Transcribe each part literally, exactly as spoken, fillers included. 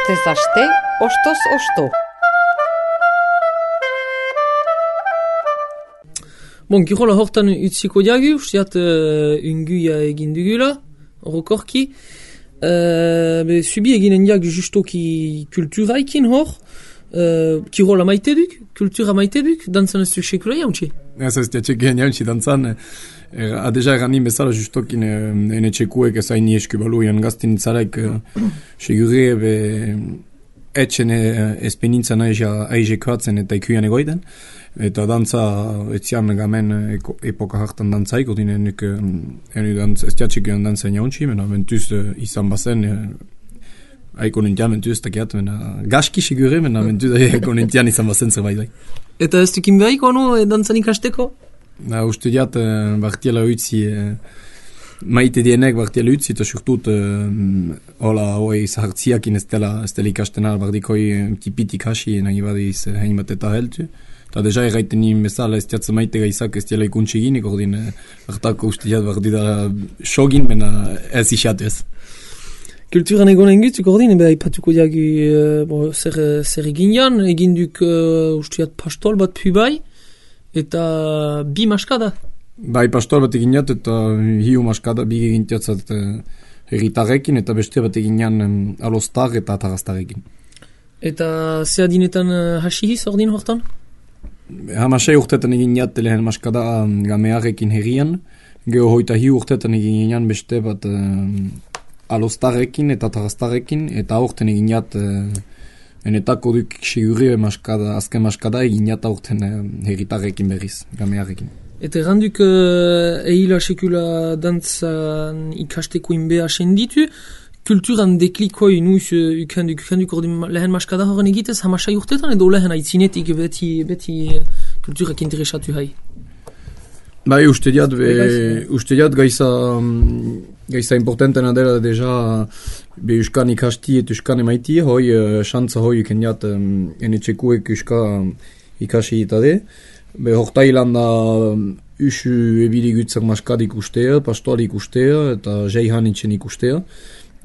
Astez aste, ostoz osto. Bon, kirola hortan utziko diagu, usteat uh, unguia egin dugula, orokorki. Uh, be, subi eginen diagu justoki kulturaikin hor, uh, kirola maite duk, kultura maite duk, dantzan ez duk sekula jauntxe. Ez ez diatxek gen jauntxe dantzan, er, a deja eranin bezala justokin uh, ene txekuek ez haini eskubalu jan gaztin itzalaik uh, segure be etxen uh, espenintzen aize koatzen eta ikuian egoiden. Eta dantza etzian gamen eko, epoka hartan dantzaik, odin enuk enu dantz, ez diatxik egon dantza jauntxi, mena mentuz uh, izan bazen, uh, aiko nintian mentuz takiat, mena gaski sigure, mena mentuz aiko nintian izan bazen zerbait bai. Eta ez dukin behiko, no, dantzan ikasteko? Na, uste diat, uh, bartiela utzi, uh, maite dienek bartiela utzi, eta surtut, uh, hola, hoi zahartziakin ez dela, ez dela ikasten albardikoi tipitik hasi, nahi badiz, uh, hein bat eta heltu. Eta deja erraiten nien bezala ez diatza maite gaizak ez diala ikuntxe ginik, ordin hartako uste diat bardi da sogin, mena ez isatu ez. Kulturan egonen gutzuk ordin, ebe haipatuko diagu uh, bo, zer, zer egin jan, egin duk uh, uste diat pastol bat pu bai, eta bi maskada. Bai, pastol bat egin jat, eta hiu maskada bi egin jatzat uh, herritarrekin, eta beste bat egin jan um, alostar eta taraztarekin. Eta ze adinetan uh, hasihiz ordin hortan? Hamasei urtetan egin jat lehen maskada gamearekin herrian, geho hoita hi urtetan egin jan beste bat uh, alostarekin eta taraztarekin, eta aurten egin jat uh, enetako duk segure maskada, azken maskada egin jat aurten uh, herritarekin berriz, gamearekin. Eta erranduk uh, ehila sekula dantzan ikasteko inbea senditu, kulturan deklikoi nuiz uh, ukenduk, ukenduk ordin lehen maskada horren egitez, hamasai urtetan edo lehen aitzinetik beti, beti uh, kulturak interesatu hai? Bai, uste diat, be, uste diat gaiza, gaiza importantena dela deja be uskan ikasti et uskan emaiti, hoi uh, xantza hoi ukendiat um, ene txekuek uska ikasi itade. Be hortailan da usu ebili gutzak maskadik ustea, pastoal ikustea eta jeihan itxen ikustea.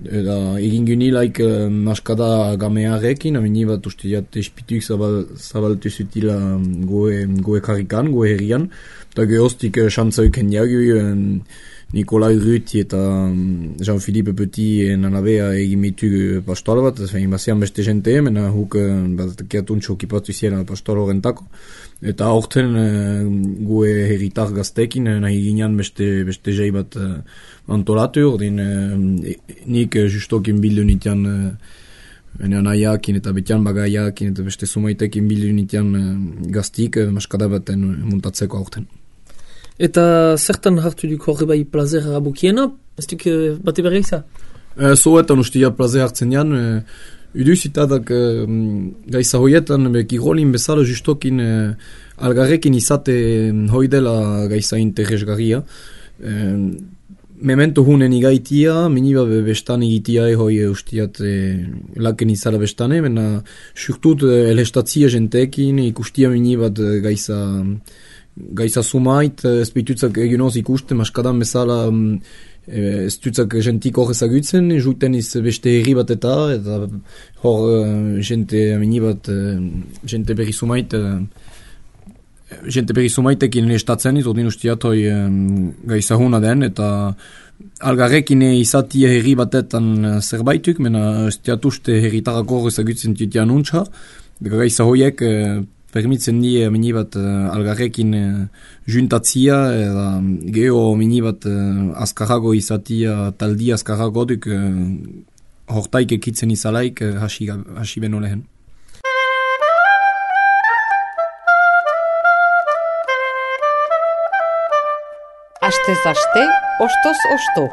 Eta egin gynilaik uh, maskada gamearekin, amini bat uste diat espituk zabal, zabaltu zutila goe, goe karikan, goe herrian. Eta gehoztik uh, xantza uken diagu, uh, Nikolai Ruti eta um, Jean-Philippe Petit nanabea egin mitu pastoal bat, egin bazian beste jente, mena huk uh, bat kiatuntxo kipatu ziela pastoal horrentako. Eta aurten uh, goe herritar gaztekin, uh, nahi ginean beste, beste jai bat uh, antolatu, ordin uh, nik uh, justokin bildu nitian uh, nahiakin eta betian bagaiakin eta beste sumaitekin bildu nitian uh, gaztik uh, maskada baten uh, muntatzeko aurten. Eta zertan hartu duk horre bai plazer abokiena, ez duk uh, bate berriak za? Uh, Zoetan ustia plazer hartzen jan, uh, Uduz itadak uh, gaiza hoietan be, kirolin bezala justokin uh, algarrekin izate hoi dela gaiza interesgarria. Uh, memento hunen igaitia, miniba be bestan egitia hoi ustiat uh, laken izala bestane, mena surtut uh, elhestatzia jentekin ikustia minibat uh, gaiza gaiza sumait, ez behitutzak eginoz ikusten, maskadan bezala um, ez dutzak jentik hor ezagutzen, juiten iz beste herri bat eta, eta hor uh, jente amini bat, uh, jente berri sumait, uh, jente berri sumaitekin estatzen iz, ordin ustiat hoi um, gaiza huna den, eta algarrekin izatia herri batetan zerbaituk, mena ustiat uste herritarako hor ezagutzen tutian untxa, gaiza hoiek uh, permitzen die mini bat uh, algarrekin uh, juntatzia, eta geho mini bat uh, azkarrago izatia, taldi azkarrago duk uh, hortaik ekitzen izalaik uh, hasi, hasi beno lehen. Astez aste, ostoz osto.